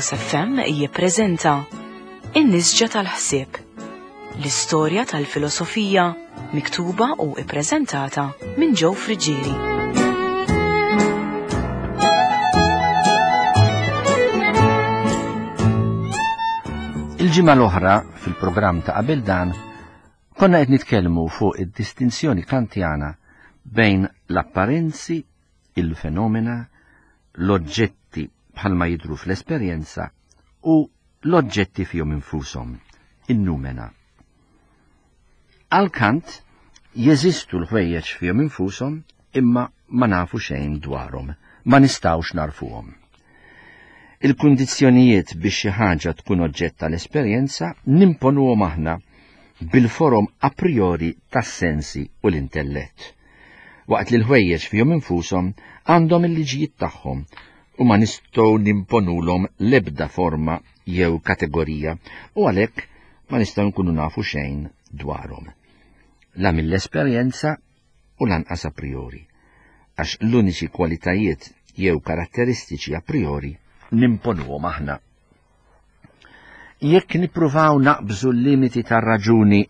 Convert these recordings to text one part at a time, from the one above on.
Logos FM jippreżenta In-Nisġa tal-Ħsieb, l-istorja tal-filosofija miktuba u ippreżentata minn Joe Friggieri. Il-ġimgħa l-oħra fil-programm ta' qabel dan konna qed nitkellmu fuq id-distinzjoni kantjana bejn l-apparenzi, il-fenomena, l-oġġetti bħalma jidhru fl-esperjenza u l-oġġetti fihom infushom, in-numena. Għal Kant jeżistu l-ħwejjeġ fihom infushom imma ma nafu xejn dwarhom, ma nistgħux narfuhom. Il-kundizzjonijiet biex xi ħaġa tkun oġġett tal-esperjenza nimponuhom aħna bil-forom a priori tas-sensi u l-intellett. Waqt li l-ħwejjeġ fihom infushom għandhom il-liġijiet tagħhom u ma nistgħu nimponulhom l-ebda forma jew kategorija u għalhekk ma nistgħu nkunu nafu xejn dwarhom. La mill-esperjenza u lanqas a priori, għax l-uniċi kwalitajiet jew karatteristiċi a priori nimponuhom aħna. Jekk nippruvaw naqbżu l-limiti tar-raġuni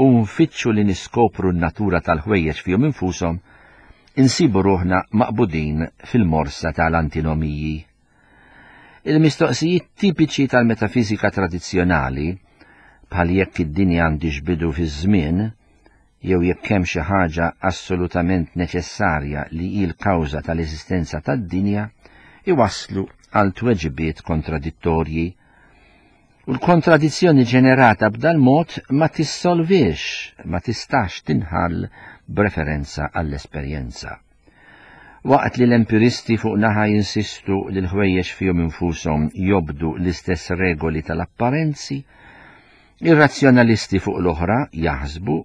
u nfittxu li niskopru n-natura tal-ħwejjeġ fihom infushom, insibu ruħna maqbudin fil-morsa tal-antinomiji. Il-mistoqsijiet tipiċi tal-metafiżika tradizzjonali, bħal jekk id-dinja għandhiex bidu fiż-żmien, jew jekk hemm xi ħaġa assolutament neċessarja li hi l-kawża tal-eżistenza tad-dinja, iwasslu għal tweġibiet kontradittorji. U l-kontradizzjoni ġenerata b'dal-mod ma tissolvix, ma tistax tinħall b'referenza għall-esperjenza. Waqt li l-empiristi fuq naħa jinsistu li l-ħwejjeġ fihom infushom jobdu l-istess regoli tal-apparenzi, ir-razzjonalisti fuq l-oħra jaħsbu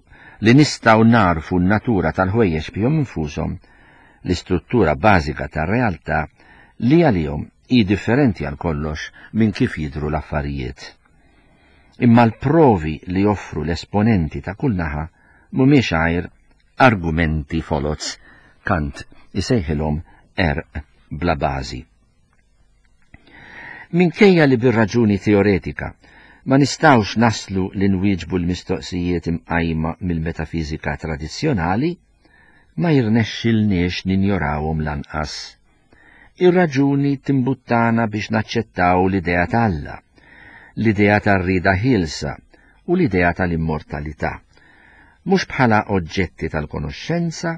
li nistgħu nagħrfu n-natura tal-ħwejjeġ fihom infushom, l-istruttura bażika tar-realtà li għalihom hi differenti għal kollox minn kif jidhru l-affarijiet. Imma l-provi li joffru l-esponenti ta' kull naħa mhumiex għajr argumenti foloz, Kant isejħilhom għerq bla bażi. Minkejja li bir-raġuni teoretika ma nistgħux naslu li nwieġbu l-mistoqsijiet imqajma mill-metafiżika tradizzjonali, ma jirnexxilniex ninjorawhom lanqas. Ir-raġuni timbuttana biex naċċettaw l-idea ta' Alla, l-idea tar-rieda ħielsa u l-idea tal-immortalità, mhux bħala oġġetti tal-konoxxenza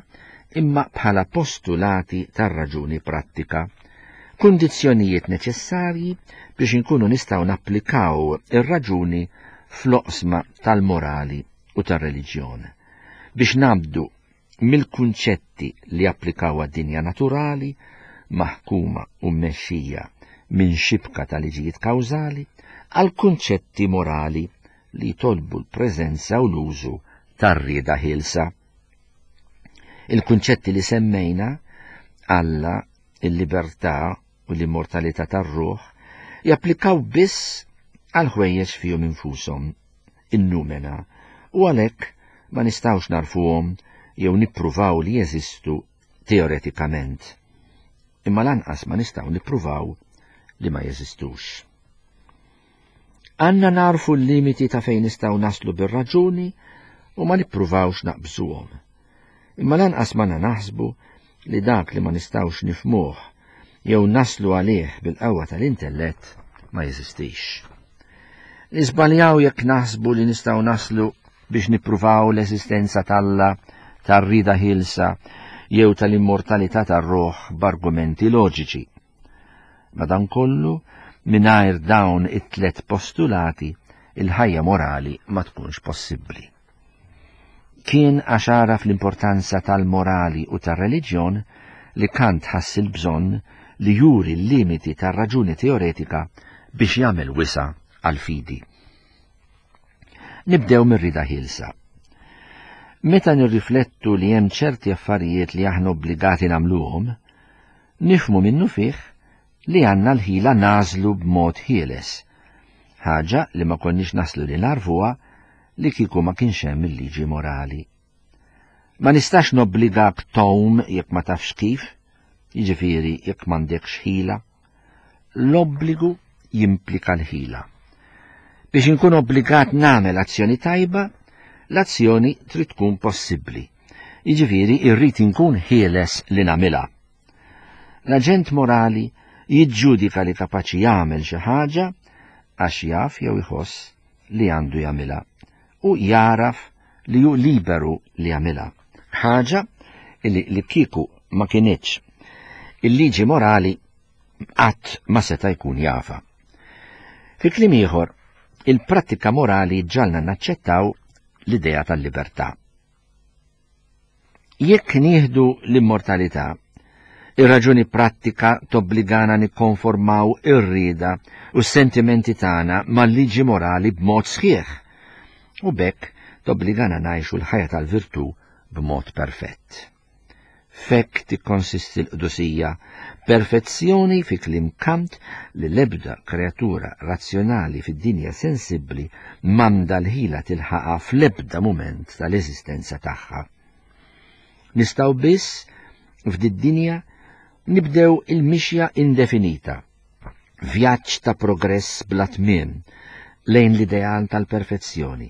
imma bħala postulati tar-raġuni prattika, kundizzjonijiet neċessarji biex inkunu nistgħu napplikaw ir-raġuni fl-oqsma tal-morali u tar-reliġjon, biex ngħaddu mill-kunċetti li japplikaw għad-dinja naturali, maħkuma u mmexxija minn xibka ta' liġijiet kawżali, għal kunċetti morali li jitolbu l-preżenza u l-użu tar-rieda ħielsa. Il-kunċetti li semmejna, Alla, il-libertà u l-immortalità tar-ruħ, japplikaw biss għal ħwejjeġ fihom infushom in-numena u għalhekk ma nistgħux nagħrfuhom jew nippruvaw li jeżistu teoretikament. Imma lanqas ma nistgħu nippruvaw li ma jeżistux. Għandna nagħrfu l-limiti ta' fejn nistgħu naslu bir-raġuni u ma nippruvawx naqbżuhom. Imma lanqas ma naħsbu li dak li ma nistgħux nifhmuh jew naslu għalih bil-qawwa tal-intellett ma jeżistix. Niżbaljaw jekk naħsbu li nistgħu naslu biex nippruvaw l-eżistenza t'Alla, tar-rieda ħielsa jew tal-immortalità tar-ruħ b'argumenti loġiċi. Madankollu, mingħajr dawn it-tlet postulati, il-ħajja morali ma tkunx possibbli. Kien għax għaraf l-importanza tal-morali u tar-reliġjon li Kant ħass il-bżonn li juri l-limiti tar-raġuni teoretika biex jagħmel wisa' għall-fidi. Nibdew mir-rieda ħielsa. Meta nirriflettu li hemm ċerti affarijiet li aħna obbligati nagħmluhom, nifhmu minnufih li għandna l-ħila nagħżlu b'mod ħieles, ħaġa li ma konniex naslu li nagħrfuha li kieku ma kienx hemm il-liġi morali. Ma nistax nobbligak tgħum jekk ma tafx kif, jiġifieri jekk m'għandekx ħila. L-obbligu jimplika l-ħila. Biex inkun obbligat nagħmel azzjoni tajba, l-azzjoni trid tkun possibbli. Jiġifieri irrid inkun ħieles li nagħmilha. L-aġent morali jiġġudika li kapaċi jagħmel xi ħaġa għax jaf jew iħoss li għandu jagħmilha u jagħraf li hu liberu li jagħmilha. Ħaġa li li kieku ma kinitx il-liġi morali qatt ma seta' jkun jafha. Fi kliem ieħor, il-prattika morali ġalna naċċettaw l-idea tal-libertà. Jekk nieħdu l-immortalità, ir-raġuni prattika tobbligana nikkonformaw ir-rieda u s-sentimenti tagħna mal-liġi morali b'mod sħiħ, u b'hekk tobbligana ngħixu l-ħajja tal-virtù b'mod perfett. F'hekk tikkonsisti l-qdusija, perfezzjoni fi kliem Kant li l-ebda kreatura razzjonali fid-dinja sensibbli m'għandha l-ħila tilħaqha fl-ebda mument tal-eżistenza tagħha. Nistgħu biss f'did-dinja nibdew il-mixja indefinita, vjaġġ ta' progress bla tmiem lejn l-ideal tal-perfezzjoni,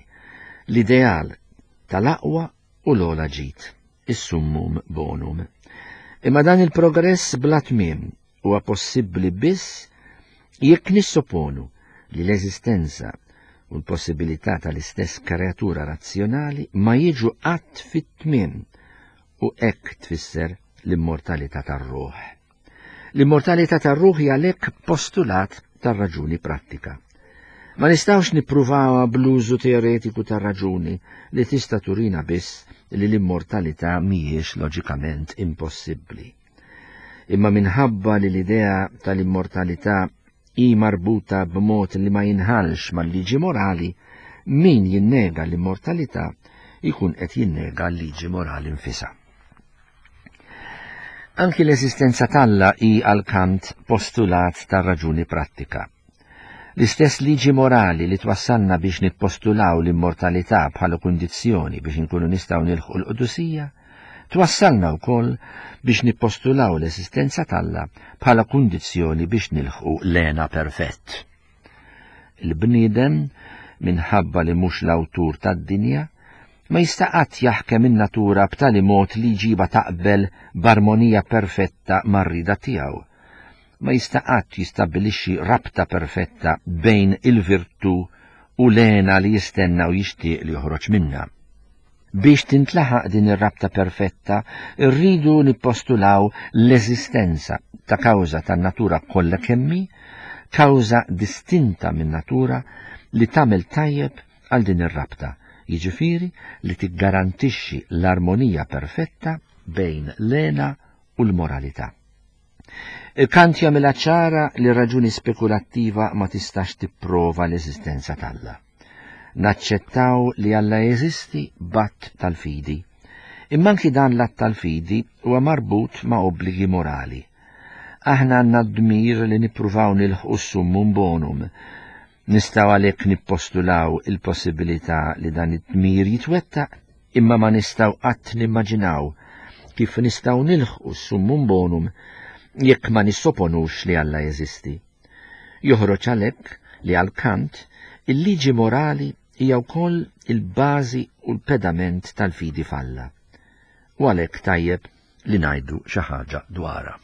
l-ideal tal-aqwa u l-ogħla ġid, is-summum bonum. Imma dan il-progress bla tmiem huwa possibbli biss jekk nissoponu li l-eżistenza u l-possibilità tal-istess kreatura razzjonali ma jiġu qatt fit-tmiem u hekk tfisser l-immortalità tar-ruħ. L-immortalità tar-ruħ hija għalhekk postulat tar-raġuni prattika. Ma nistgħux nippruvawha bl-użu teoretiku tar-raġuni li tista' turina biss li l-immortalità mhijiex loġikament impossibbli. Imma minħabba li l-idea tal-immortalità hi marbuta b'mod li ma jinħallx mal-liġi morali, min jinnega l-immortalità jkun qed jinnega l-liġi morali nfisha. Anki l-eżistenza t'Alla hi għal Kant postulat tar-raġuni prattika. L-istess liġi morali li twassalna biex nippostulaw l-immortalità bħala kundizzjoni biex inkunu nistgħu nilħqu l-qdusija, twassalna wkoll biex nippostulaw l-eżistenza t'Alla bħala kundizzjoni biex nilħqu l-hena perfett. Il-bniedem, minħabba li mhux l-awtur tad-dinja, ma jista' qatt jaħkem in-natura b'tali mod li jġibha taqbel b'armonija perfetta mar-rieda tiegħu. Ma jista' qatt jistabbilixxi rabta perfetta bejn il-virtù u l-hena li jistenna u jixtieq li joħroġ minnha. Biex tintlaħaq din ir-rabta perfetta, irridu nippostulaw l-eżistenza ta' kawża tan-natura kollha kemm hi, kawża distinta min-natura li tagħmel tajjeb għal din ir-rabta, jiġifieri li tiggarantixxi l-armonija perfetta bejn l-hena u l-moralità. Kant jagħmilha ċara li raġuni spekulattiva ma tistax tipprova l-eżistenza t'Alla. Naċċettaw li Alla jeżisti b'att tal-fidi. Imma anki dan l-att tal-fidi huwa marbut ma' obbligi morali. Aħna għandna d-dmir li nippruvaw nilħqu s-summum bonum. Nistgħu għalhekk nippostulaw il-possibilità li dan id-dmir jitwettaq, imma ma nistgħu qatt nimmaġinaw kif nistgħu nilħqu s-summum bonum jekk ma nissoponux li Alla jeżisti. Joħroġ għalhekk li għal Kant il-liġi morali hija wkoll il-bażi u l-pedament tal-fidi f'Alla. U għalhekk tajjeb li ngħidu xi ħaġa dwarha.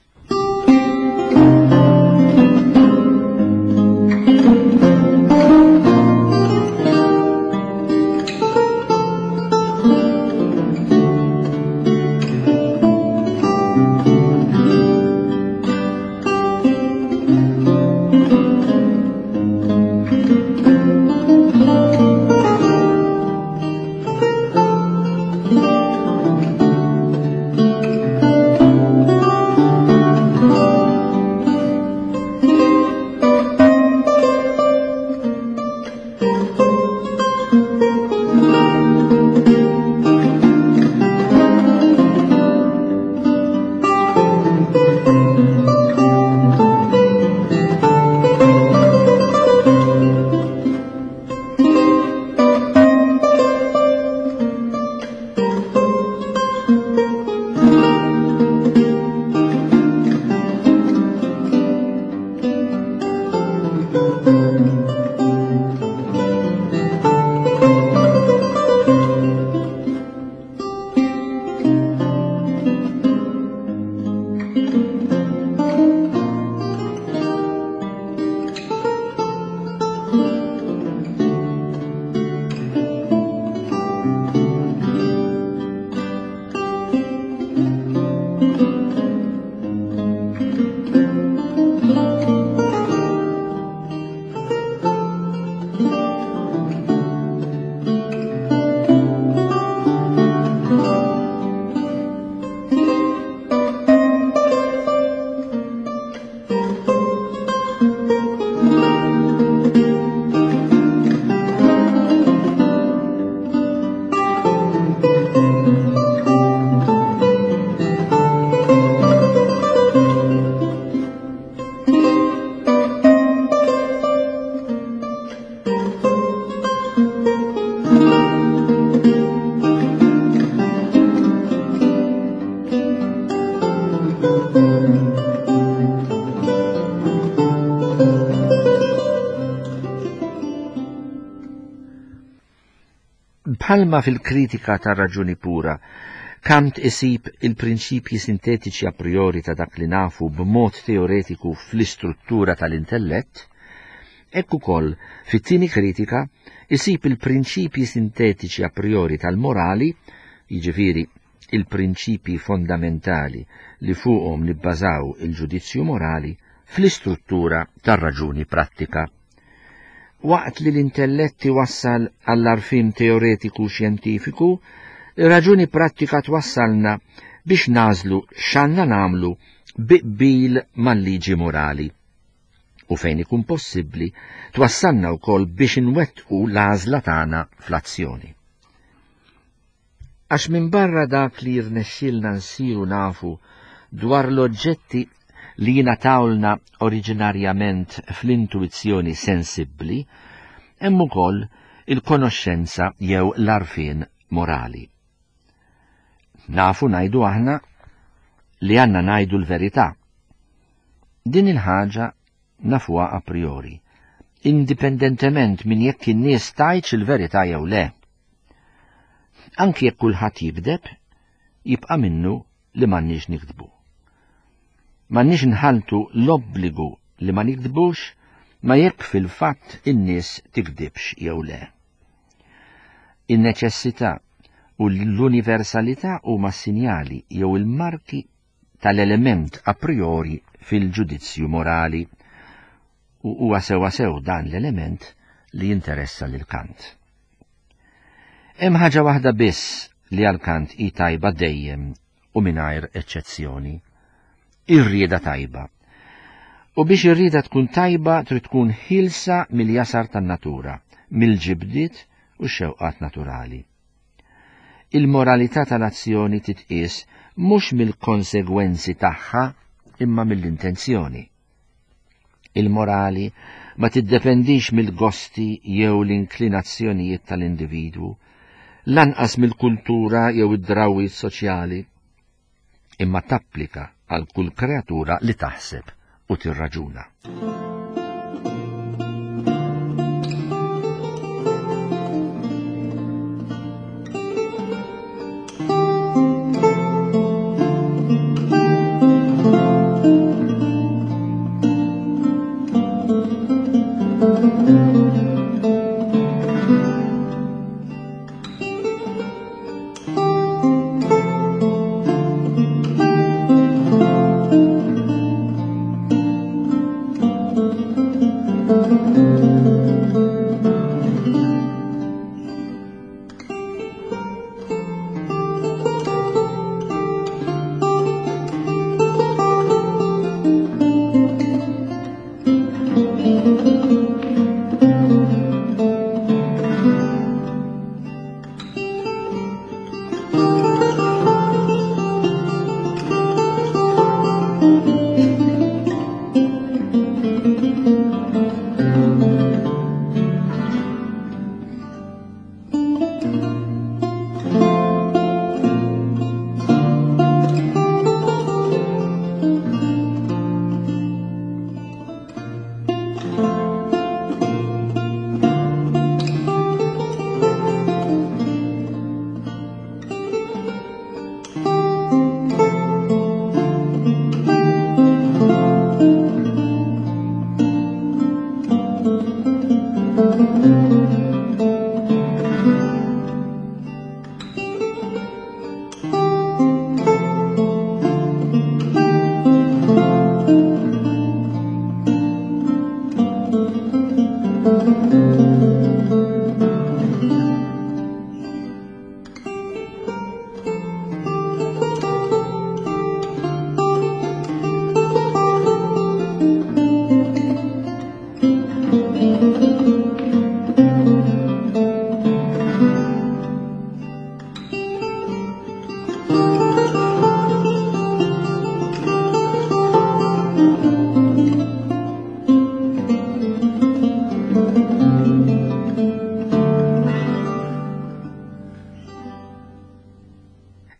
Bħalma fil-kritika tar-raġuni pura, Kant isib il-prinċipji sintetiċi a priori ta' dak li nafu b'mod teoretiku fl-istruttura tal-intellett, hekk ukoll fit-tieni kritika isib il-prinċipji sintetiċi a priori tal-morali, jiġifieri il-prinċipji fondamentali li fuqhom nibbażaw il-ġudizzju morali, fl-istruttura tar-raġuni prattika. Waqt li l-intellett iwassal għall-għarfien teoretiku xjentifiku, ir-raġuni prattika twassalna biex nagħżlu x'għandna nagħmlu bi qbil mal-liġi morali. U fejn ikun possibbli, twassalna wkoll biex inwettqu l-għażla tagħna fl-azzjoni. Għax minbarra dak li jirnexxielna nsiru nafu dwar l-oġġetti li jingħatawlna oriġinarjament fl-intuwizzjoni sensibbli, hemm ukoll il-konoxxenza jew l-għarfien morali. Nafu ngħidu aħna li għandna ngħidu l-verità. Din il-ħaġa nafuha a priori, indipendentement minn jekk in-nies tgħidx il-verità jew le. Anki jekk kulħadd jigdeb, jibqa' minnu li m'għandniex nikdbu. M'għandniex nħaltu l-obbligu li ma nikdbux ma jekk fil-fatt in-nies tikdibx jew le. In-neċessità u l-universalità huma sinjali jew il-marki tal-element a priori fil-ġudizzju morali u huwa sewwasew dan l-element li jinteressa lil Kant. Hemm ħaġa waħda biss li għal Kant hi tajba dejjem u mingħajr eċċezzjoni, ir-rieda tajba. U biex ir-rieda tkun tajba trid tkun ħielsa mill-jasar tan-natura, mill-ġibdiet u x-xewqat naturali. Il-moralità tal-azzjoni titqies mhux mill-konsegwenzi tagħha imma mill-intenzjoni. Il-morali ma tiddependix mill-gosti jew l-inklinazzjonijiet tal-individwu, lanqas mill-kultura jew id-drawwiet soċjali, imma tapplika għal kull kreatura li taħseb u tirraġuna.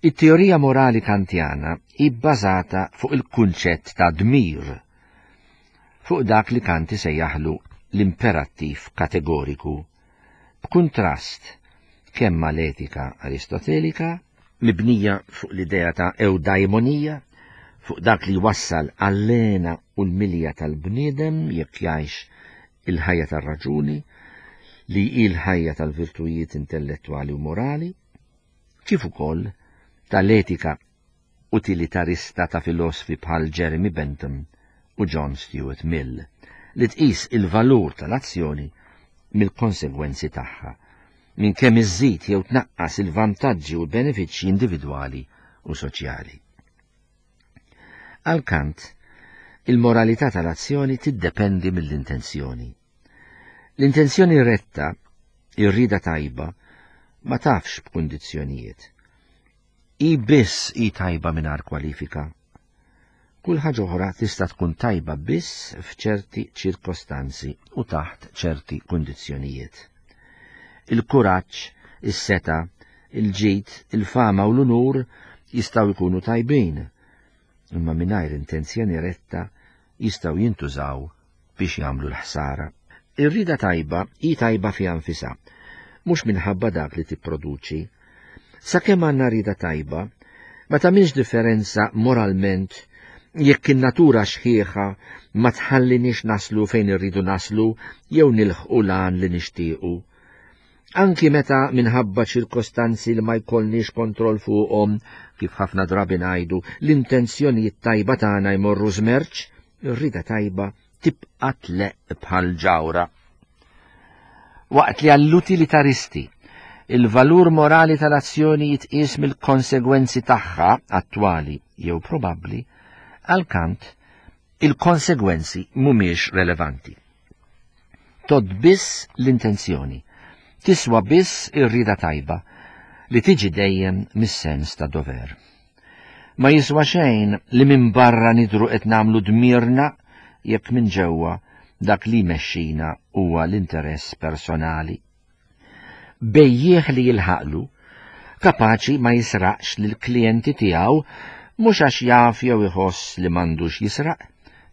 It-teorija morali Kantjana hi bbażata fuq il-kunċett ta' dmir, fuq dak li Kant isejjaħlu l-imperattiv kategoriku, b'kuntrast kemm mal-etika Aristotelika, mibnija fuq l-idea ta' ewdaimonija, fuq dak li jwassal għall-hena u l-milja tal-bniedem jekk jgħix il-ħajja tar-raġuni, li hi l-ħajja tal-virtujiet intellettwali u morali, kif ukoll tal-etika utilitarista ta' filosfi bħal Jeremy Bentham u John Stuart Mill, li tqis il-valur tal-azzjoni mill-konsegwenzi tagħha, minn kemm iżżid jew tnaqqas il-vantaġġi u l-benefiċċji individwali u soċjali. Għal Kant, il-moralità tal-azzjoni tiddependi mill-intenzjoni. L-intenzjoni retta, ir-rieda tajba, ma tafx b'kundizzjonijiet. Hi biss hi tajba mingħajr kwalifika. Kull ħaġa oħra tista' tkun tajba biss f'ċerti ċirkostanzi u taħt ċerti kundizzjonijiet. Il-kuraġġ, is-setgħa, il-ġid, il-fama u l-unur jistgħu jkunu tajbin, imma mingħajr intenzjoni retta jistgħu jintużaw biex jagħmlu l-ħsara. Ir-rieda tajba hi tajba fiha nfisha, mhux minħabba dak li tipproduċi. Sakemm għandna rieda tajba, ma tagħmilx differenza moralment jekk in-natura xħiħa ma tħalliniex naslu fejn irridu naslu jew nilħqu l-għan li nixtiequ. Anki meta minħabba ċirkostanzi li ma jkollniex kontroll fuqhom, kif ħafna drabi ngħidu, l-intenzjonijiet tajba tagħna jmorru żmerċ, ir-rieda tajba tibqa' tleqq bħal ġawra. Waqt li għall-utilitaristi il-valur morali tal-azzjoni jitqies mill-konsegwenzi tagħha attwali jew probabbli, għal Kant il-konsegwenzi mhumiex relevanti. Tgħodd biss l-intenzjoni, tiswa biss ir-rieda tajba li tiġi dejjem mis-sens ta' dover. Ma jiswa xejn li minn barra nidhru qed nagħmlu dmirna jekk minn ġewwa dak li jmexxina huwa l-interess personali. Bejjiegħ li jilħaqlu, kapaċi ma jisraqx lill-klijenti tiegħu mhux għax jaf jew iħoss li m'għandux jisraq,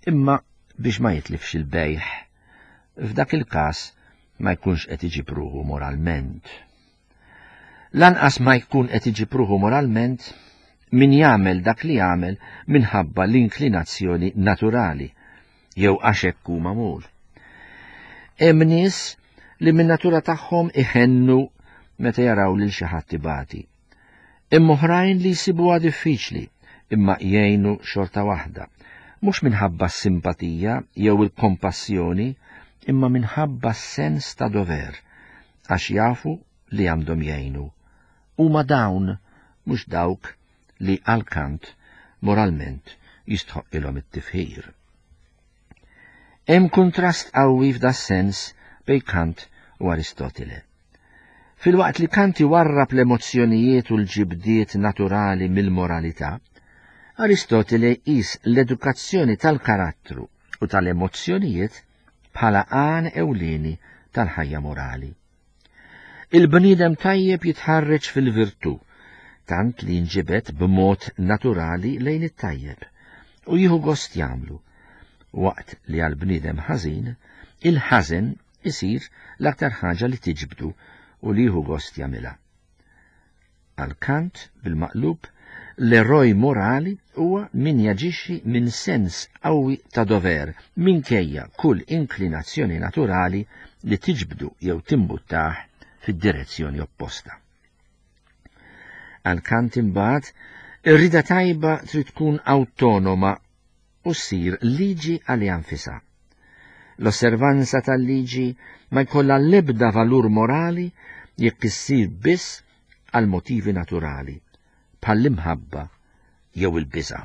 imma biex ma jitlifx il-bejgħ. F'dak il-każ ma jkunx qed iġib ruħu moralment. Lanqas ma jkun qed iġib ruħu moralment min jagħmel dak li jagħmel minħabba l-inklinazzjoni naturali jew għax hekk hu magħmul. Hemm nies li min-natura tagħhom iħennu meta jaraw lil xi ħadd ibati. Hemm oħrajn li jsibuha diffiċli imma jgħinu xorta waħda, mhux minħabba s-simpatija jew il-kompassjoni imma minħabba s-sens ta' dover, għax jafu li għandhom jgħinu. Huma dawn, mhux dawk, li għal Kant moralment jistħoqqilhom it-tifħir. Hemm kuntrast qawwi f'das-sens bejn Kant u Aristotile. Filwaqt li Kant iwarrab l-emozzjonijiet u l-ġibdiet naturali mill-moralità, Aristotile jqis l-edukazzjoni tal-karattru u tal-emozzjonijiet bħala għan ewlieni tal-ħajja morali. Il-bniedem tajjeb jitħarreġ fil-virtù, tant li jinġibed b'mod naturali lejn it-tajjeb u jieħu gost jagħmlu, waqt li għall-bniedem ħażin, il-ħażen isir l-aktar ħaġa li tiġbdu u li jieħu gost jagħmilha. Għal Kant, bil-maqlub, l-eroj morali huwa min jaġixxi minn sens qawwi ta' dover minkejja kull inklinazzjoni naturali li tiġbdu jew timbuttah fid-direzzjoni opposta. Għal Kant imbagħad, ir-rieda tajba trid tkun awtonoma u ssir liġi għaliha nfisha. L-osservanza tal-liġi ma jkollha l-ebda valur morali jekk issir biss għal motivi naturali, bħall-imħabba jew il-biża'.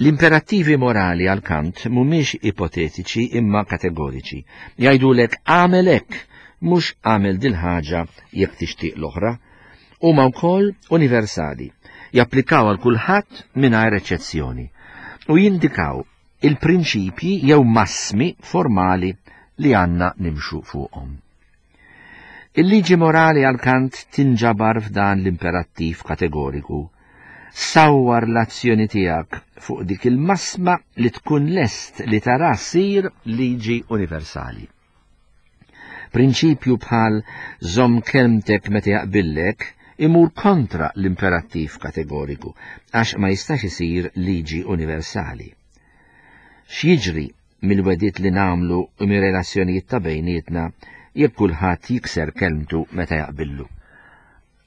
L-imperattivi morali għal Kant mhumiex ipotetiċi imma kategoriċi. Jgħidulek għamel hekk, mhux għamel dil-ħaġa jekk tixtieq l-oħra. Huma wkoll universali, japplikaw għal kulħadd mingħajr eċċezzjoni u jindikaw il-prinċipji jew massmi formali li għandna nimxu fuqhom. Il-liġi morali għal Kant tinġabar f'dan l-imperattiv kategoriku. Sawwar l-azzjoni tiegħek fuq dik il-massma li tkun lest li tara ssir liġi universali. Prinċipju bħal żomm kelmtek meta jaqbillek imur kontra l-imperattiv kategoriku għax ma jistax isir liġi universali. X'jiġri mill-wegħdiet li nagħmlu u mir-relazzjonijiet ta' bejnietna jekk kulħadd jikser kelmtu meta jaqbillu.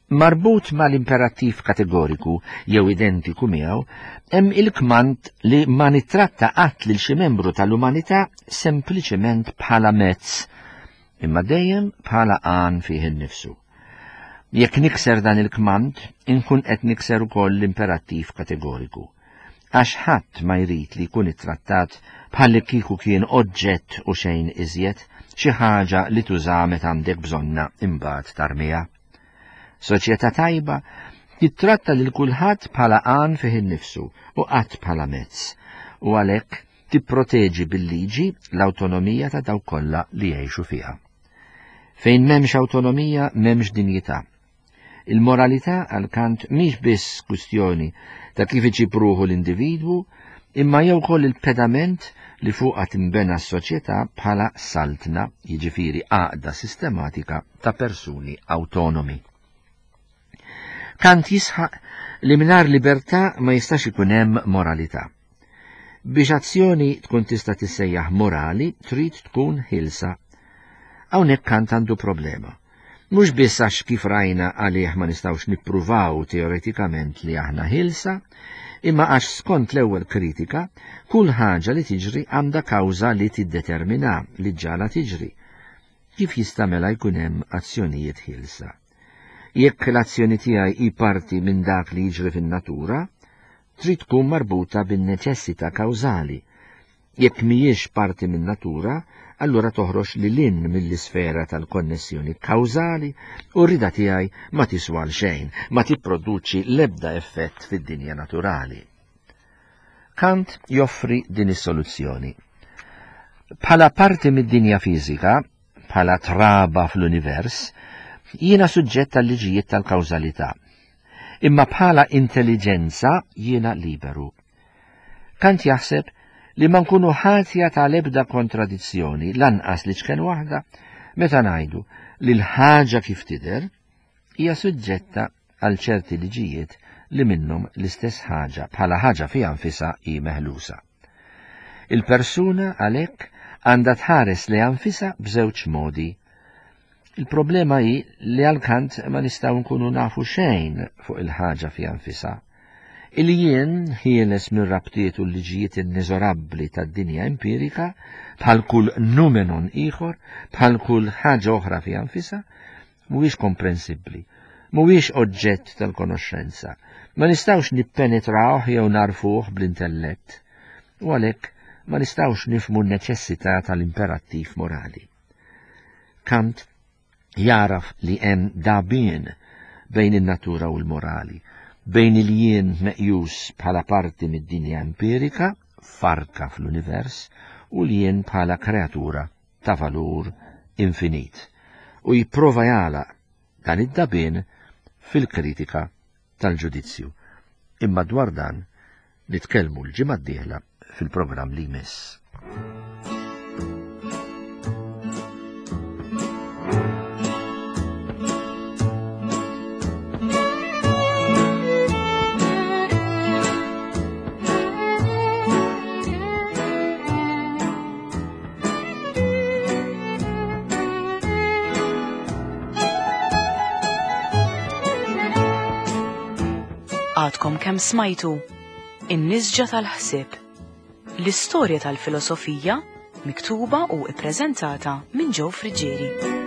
Marbut mal-imperattiv kategoriku jew identiku miegħu hemm il-kmand li ma nittratta qatt lil xi membru tal-umanità sempliċement bħala mezz, imma dejjem bħala għan fih innifsu. Jekk nikser dan il-kmand, inkun qed nikser ukoll l-imperattiv kategoriku. Għax ħadd ma jrid li jkun ittrattat bħal li kieku kien oġġett u xejn iżjed, xi ħaġa li tuża meta għandek bżonnha imbagħad tarmiha. Soċjetà tajba tittratta lil kulħadd bħala għan fih innifsu u qatt bħala mezz, u għalhekk tipproteġi bil-liġi l-awtonomija ta' dawk kollha li jgħixu fiha. Fejn m'hemmx awtonomija m'hemmx dinjità. Il-moralità għal Kant mhix biss kwistjoni ta' kif iġib ruħu l-individwu, imma hija wkoll il-pedament li fuqha tinbena s-soċjetà bħala saltna, jiġifieri għaqda sistematika ta' persuni awtonomi. Kant jisħaq li mingħajr libertà ma jistax ikun hemm moralità. Biex azzjoni tkun tista' tissejjaħ morali trid tkun ħielsa. Hawnhekk Kant għandu problema. Mhux biss għax kif rajna għalih ma nistgħux nippruvaw teoretikament li aħna ħielsa, imma għax skont l-ewwel kritika, kull ħaġa li tiġri għandha kawża li tiddetermina li ġġagħalha tiġri. Kif jista' mela jkun hemm azzjonijiet ħielsa? Jekk l-azzjoni tiegħi hi parti minn dak li jiġri fin-natura, trid tkun marbuta bin-neċessità kawżali. Jekk mhijiex parti min-natura, allura toħroġ lil hinn mill-isfera tal-konnessjoni kawżali u r-rieda tiegħi ma tiswa għal xejn, ma tipproduċi l-ebda effett fid-dinja naturali. Kant joffri din is-soluzzjoni. Bħala parti mid-dinja fiżika, bħala traba fl-univers, jiena suġġett għal-liġijiet tal-kawżalità. Imma bħala intelliġenza jiena liberu. Kant jaħseb li ma nkunu ħatja tal-ebda kontradizzjoni lanqas li ċken waħda meta ngħidu li l-ħaġa kif tidher hija suġġetta għal ċerti liġijiet li minnhom l-istess ħaġa bħala ħaġa fiha nfisha hi meħlusa. Il-persuna għalhekk għandha tħares lejha nfisha b'żewġ modi. Il-problema hi li għal Kant ma nistgħu nkunu nafu xejn fuq il-ħaġa fiha nfisha. Il-jien ħieles mir-rabtiet u l-liġijiet inneżorabbli tad-dinja empirika, bħal kull numenon ieħor, bħal kull ħaġa oħra fiha nfisha, mhuwiex komprensibbli, mhuwiex oġġett tal-konoxxenza, ma nistgħux nippenetrawh jew nagħrfuh bl-intellett, u għalhekk ma nistgħux nifhmu n-neċessità tal-imperattiv morali. Kant jagħraf li hemm dagħbien bejn in-natura u l-morali, bejn il-jien meqjus bħala parti mid-dinja empirika, farka fl-univers, u l-jien bħala kreatura ta' valur infinit, u jipprova jagħlaq dan id-dagħbien fil-kritika tal-ġudizzju. Imma dwar dan nitkellmu l-ġimgħa d-dieħla fil-programm li jmiss. Għadkom kemm smajtu In-nisġa tal-ħsieb. L-istorja tal-filosofija miktuba u ippreżentata minn Joe Friggieri.